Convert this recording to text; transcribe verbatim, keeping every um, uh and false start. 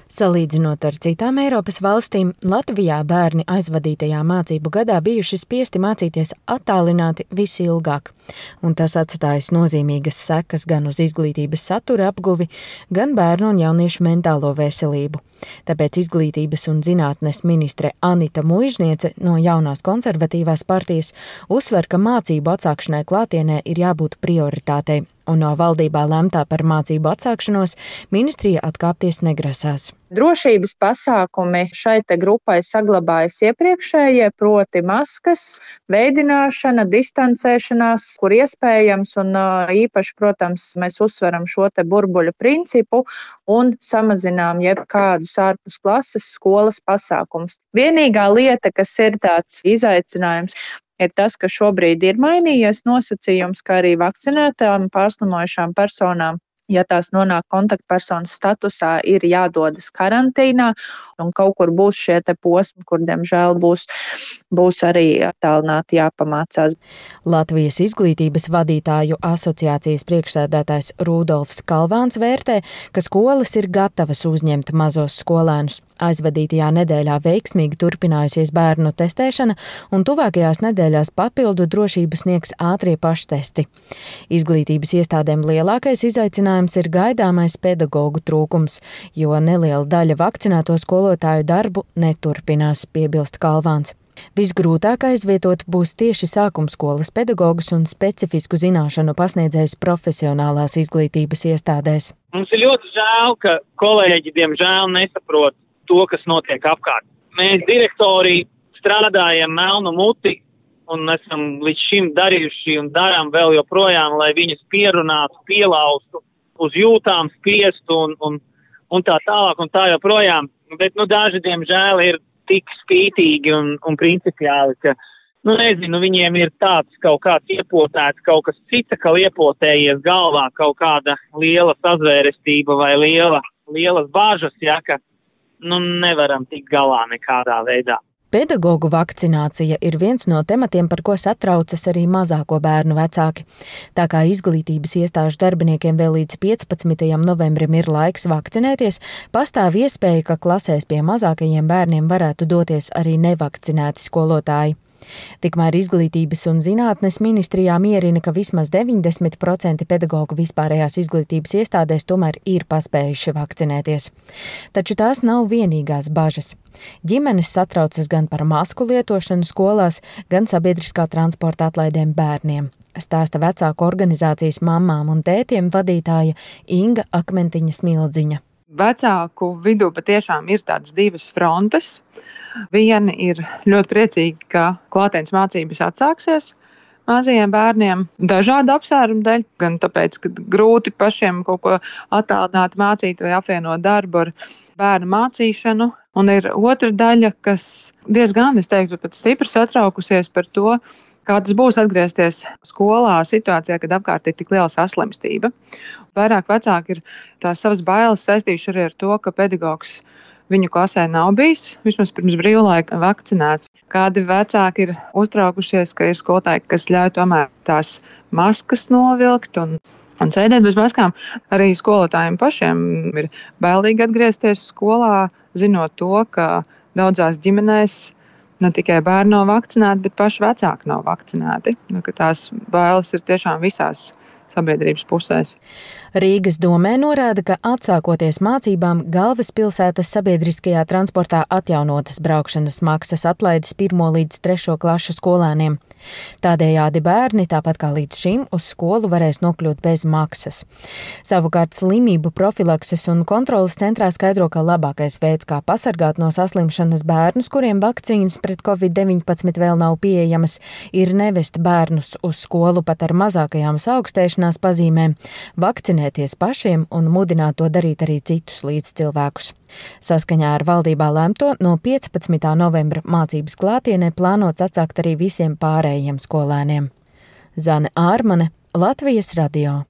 Salīdzinot ar citām Eiropas valstīm, Latvijā bērni aizvadītajā mācību gadā bijuši spiesti mācīties attālināti visilgāk, un tas atstājis nozīmīgas sekas gan uz izglītības satura apguvi, gan bērnu un jauniešu mentālo veselību. Tāpēc izglītības un zinātnes ministre Anita Muižniece no jaunās konservatīvās partijas uzsver, ka mācību atsākšanai klātienē ir jābūt prioritātei, un no valdībā lemtā par mācību atsākšanos ministrija atkāpties negrasās. Drošības pasākumi šai te grupai saglabājas iepriekšējie, proti maskas, veidināšana, distancēšanās, kur iespējams, un īpaši, protams, mēs uzsveram šo te burbuļu principu un samazinām jebkādus ārpus klases skolas pasākumus. Vienīgā lieta, kas ir tāds izaicinājums, ir tas, ka šobrīd ir mainījies nosacījums, ka arī vakcinētām pārslimojušām personām, ja tās nonāk kontaktpersonas statusā, ir jādodas karantīnā, un kaut kur būs šie te posmi, kur, diemžēl, būs, būs arī attālināti jāpamācās. Latvijas izglītības vadītāju asociācijas priekšsēdētājs Rudolfs Kalvāns vērtē, ka skolas ir gatavas uzņemt mazos skolēnus. Aizvadītajā nedēļā veiksmīgi turpinājusies bērnu testēšana, un tuvākajās nedēļās papildu drošību sniegs ātrie paštesti. Izglītības iestādēm lielākais izaicinājums ir gaidāmais pedagogu trūkums, jo neliela daļa vakcinēto skolotāju darbu neturpinās, piebilst Kalvāns. Visgrūtāk aizvietot būs tieši sākumskolas pedagogus un specifisku zināšanu pasniedzējus profesionālās izglītības iestādēs. Mums ir ļoti žēl, ka kolēģi diemžēl nesaprot to, kas notiek apkārt. Mēs direktori strādājam melnu muti un esam līdz šim darījuši un darām vēl joprojām, lai viņus pierunātu, pielaustu, uz jūtām spiestu un, un, un tā tālāk un tā joprojām. Bet, nu, daži, diemžēl, ir tik spītīgi un, un principiāli, ka, nu, nezinu, viņiem ir tāds kaut kāds iepotēts, kaut kas cits, ka iepotējies galvā kaut kāda liela sazvērestība vai liela, lielas bāžas, ja, ka, nu, nevaram tikt galā nekādā veidā. Pedagogu vakcinācija ir viens no tematiem, par ko satraucas arī mazāko bērnu vecāki. Tā kā izglītības iestāžu darbiniekiem vēl līdz piecpadsmitajam novembrim ir laiks vakcinēties, pastāv iespēja, ka klasēs pie mazākajiem bērniem varētu doties arī nevakcinēti skolotāji. Tikmēr izglītības un zinātnes ministrijā mierina, ka vismaz deviņdesmit procenti pedagogu vispārējās izglītības iestādēs tomēr ir paspējuši vakcinēties. Taču tās nav vienīgās bažas. Ģimenes satraucas gan par masku lietošanu skolās, gan sabiedriskā transporta atlaidēm bērniem. Stāsta vecāku organizācijas Mammām un tētiem vadītāja Inga Akmentiņa Smildziņa. Vecāku vidū patiešām ir tādas divas frontes. Viena ir ļoti priecīga, ka klātienes mācības atsāksies mazajiem bērniem dažādu apsvērumu dēļ, gan tāpēc, ka grūti pašiem kaut ko attālināti mācīt vai apvienot darbu ar bērnu mācīšanu. Un ir otra daļa, kas diezgan, es teiktu, pat stipri satraukusies par to, kā tas būs atgriezties skolā situācijā, kad apkārt ir tik liela saslimstība. Vairāk vecāki ir tās savas bailes saistījuši arī ar to, ka pedagogs viņu klasē nav bijis, vismaz pirms brīvlaika vakcinēts. Kādi vecāki ir uztraukušies, ka ir skolotāji, kas ļauj tomēr tās maskas novilkt un, un sēdēt bez maskām. Arī skolotājiem pašiem ir bailīgi atgriezties skolā, zinot to, ka daudzās ģimenēs ne tikai bērni nav vakcinēti, bet paši vecāki nav vakcinēti. Nu, ka tās bailes ir tiešām visās sabiedrības pusēs. Rīgas domē norāda, ka atsākoties mācībām galvaspilsētas sabiedriskajā transportā atjaunotas braukšanas maksas atlaides pirmo līdz trešo klašu skolēniem. Tādējādi bērni, tāpat kā līdz šim, uz skolu varēs nokļūt bez maksas. Savukārt slimību profilakses un kontrolas centrā skaidro, ka labākais veids, kā pasargāt no saslimšanas bērnus, kuriem vakcīnas pret covid deviņpadsmit vēl nav pieejamas, ir nevest bērnus uz skolu pat ar mazākajām saaugstēšanās pazīmēm, vakcinēties pašiem un mudināt to darīt arī citus līdzcilvēkus. Saskaņā ar valdībā lemto no piecpadsmitā novembra mācības klātienē plānots atsākt arī visiem pārējiem skolēniem. Zane Ārmane, Latvijas radio.